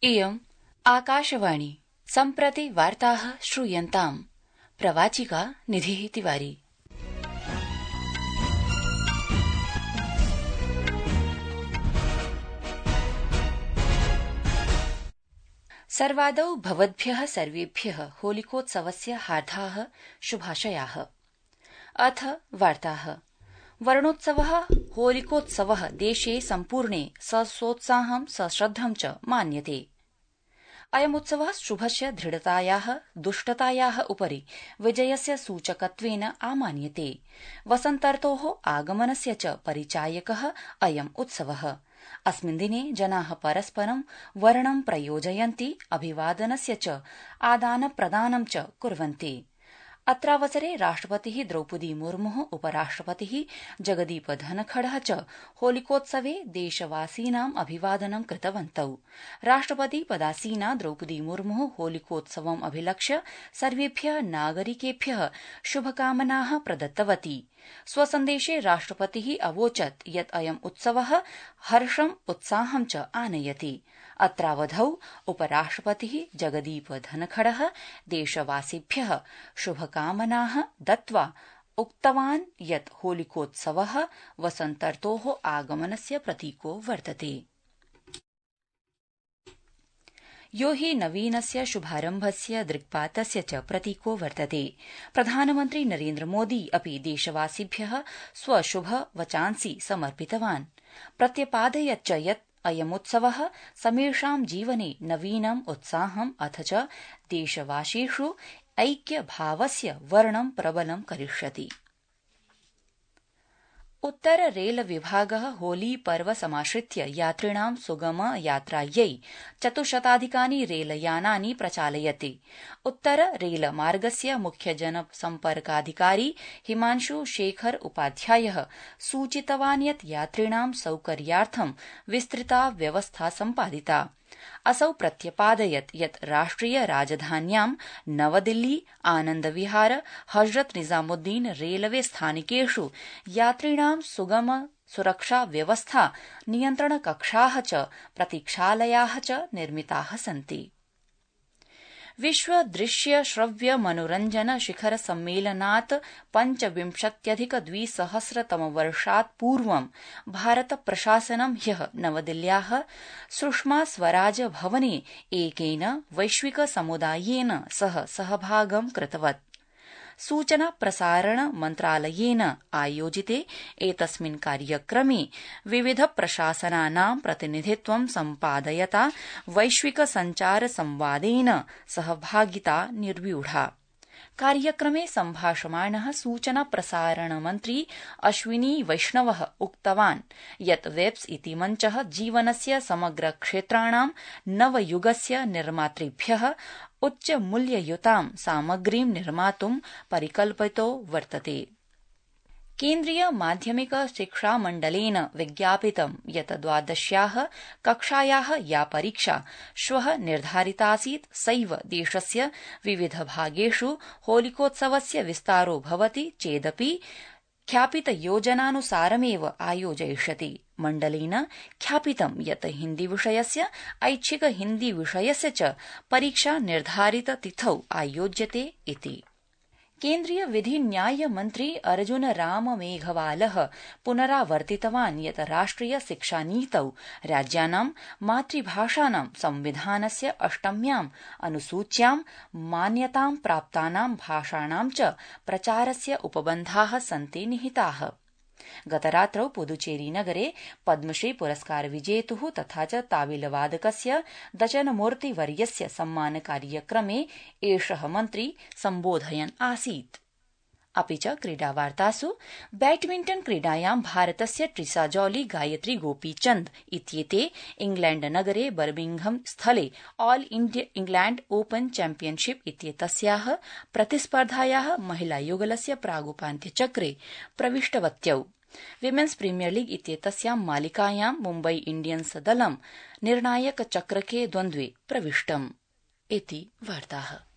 इयम् आकाशवाणी। सम्प्रति वार्ताः श्रूयन्ताम्। प्रवाचिका निधिः तिवारी। सर्वादौ भवद्भ्यः सर्वेभ्यः होलिकोत्सवस्य हार्दाः शुभाशयाः। अथ वार्ताः। वर्णोत्सवः होलिकोत्सवः देशे सम्पूर्णे सोत्साहं सश्रद्धं च मान्यते। अयमुत्सवः शुभस्य दृढतायाः दुष्टतायाः उपरि विजयस्य सूचकत्वेन आमान्यते। वसन्तर्तोः आगमनस्य च परिचायकः अयम् उत्सवः। अस्मिन् दिने जनाः परस्परं वर्णं प्रयोजयन्ति, अभिवादनस्य च आदानप्रदानं च कुर्वन्ति। अत्रावसरे राष्ट्रपतिः द्रौपदी मुर्मुः, उपराष्ट्रपतिः जगदीप धनखडः च होलिकोत्सवे देशवासीनाम् अभिवादनं कृतवन्तौ। राष्ट्रपतिपदासीना द्रौपदी मुर्मुः होलिकोत्सवम् अभिलक्ष्य सर्वेभ्यः नागरिकेभ्यः शुभकामनाः प्रदत्तवती। स्वसन्देशे राष्ट्रपतिः अवोचत् यत् अयम् उत्सवः हर्षम् उत्साहं च आनयति। अत्रावधौ उपराष्ट्रपतिः जगदीप धनखडः देशवासिभ्यः शुभकामनाः दत्त्वा उक्तवान् यत् होलिकोत्सवः वसन्तर्तोः आगमनस्य प्रतीको वर्तते। यो हि नवीनस्य शुभारम्भस्य दृक्पातस्य च प्रतीको वर्तते। प्रधानमन्त्री नरेन्द्र मोदी अपि देशवासिभ्यः स्वशुभवचांसि समर्पितवान्। प्रत्यपादयत् च यत् अयमुत्सवः समेषां जीवने नवीनम् उत्साहम् अथ च देशवासीषु ऐक्यभावस्य वर्णं प्रबलं करिष्यति। उत्तर रेल विभागः होली पर्व समाश्रित्य यात्रिणां सुगम यात्रायै 400 रेलयानानि प्रचालयति। उत्तर रेल मार्गस्य मुख्य जनसम्पर्काधिकारी हिमांशु शेखर उपाध्यायः सूचितवान् यत् यात्रिणां सौकर्यार्थं विस्तृता व्यवस्था सम्पादिता। असौ प्रत्यपादयत् यत् राष्ट्रिय राजधान्यां नवदिल्ली, आनन्दविहार, हजरत निजामुद्दीन रेलवे स्थानकेषु यात्रिणां सुगम सुरक्षा व्यवस्था, नियन्त्रणकक्षाः च प्रतीक्षालयाः च निर्मिताः सन्ति। विश्व दृश्य श्रव्य मनोरञ्जन शिखर सम्मेलनात् 25,200 पूर्वं भारत प्रशासनं ह्यः नवदिल्ल्याः सुषमा स्वराज भवने एकेन वैश्विक समुदायेन सह सहभागं कृतवत्। सूचना प्रसारण मन्त्रालयेन आयोजिते एतस्मिन् कार्यक्रमे विविध प्रशासनानां प्रतिनिधित्वं सम्पादयता वैश्विक सञ्चार संवादेन सहभागिता निर्व्यूढा। कार्यक्रमे सम्भाषमाणः सूचना प्रसारण मन्त्री अश्विनी वैष्णवः उक्तवान् यत् वेब्स् इति मञ्चः जीवनस्य समग्र क्षेत्राणां नवयुगस्य निर्मातृभ्यः उच्चमूल्ययुतां सामग्रीं निर्मातुं परिकल्पितो वर्तते। केन्द्रीय माध्यमिक शिक्षा मण्डलेन विज्ञापितं यत् 12 कक्षायाः या परीक्षा श्वः निर्धारितासीत् सैव देशस्य विविध भागेषु होलिकोत्सवस्य विस्तारो भवति चेदपि ख्यापितयोजनानुसारमेव आयोजयिष्यति। मण्डलेन ख्यापितं यत् हिन्दीविषयस्य ऐच्छिक हिन्दीविषयस्य च परीक्षा निर्धारित तिथौ आयोज्यते इति। केन्द्रीय विधि न्याय मन्त्री अर्जुन राम मेघवालः पुनरावर्तितवान् यत् राष्ट्रिय शिक्षानीतौ राज्यानां मातृभाषाणां संविधानस्य 8म्याम् अनुसूच्यां मान्यतां प्राप्तानां भाषाणां च प्रचारस्य उपबन्धाः सन्ति निहिताः। गतरात्रौ पुदुचेरीनगरे पद्मश्री पुरस्कार विजेतुः तथा च ताविलवादकस्य दचनमूर्तिवर्यस्य सम्मानकार्यक्रमे एषः मन्त्री सम्बोधयन् आसीत्। अपि च क्रीडावार्तासु बैडमिण्टन क्रीडायां भारतस्य ट्रिसा जॉली, गायत्री गोपीचन्द इत्येते इंग्लैण्डनगरे बर्मिंघम स्थले ऑल इंग्लैण्ड ओपन चैम्पियनशिप इत्येतस्याः प्रतिस्पर्धायाः महिलायुगलस्य प्रागुपान्त्यचक्रे प्रविष्टवत्यौ। विमेन्स प्रीमियर लीग इत्येतस्यां मालिकायां मुम्बई इंडियन्स दलं निर्णायकचक्रके द्वन्द्वे प्रविष्टम् इति वार्ताः।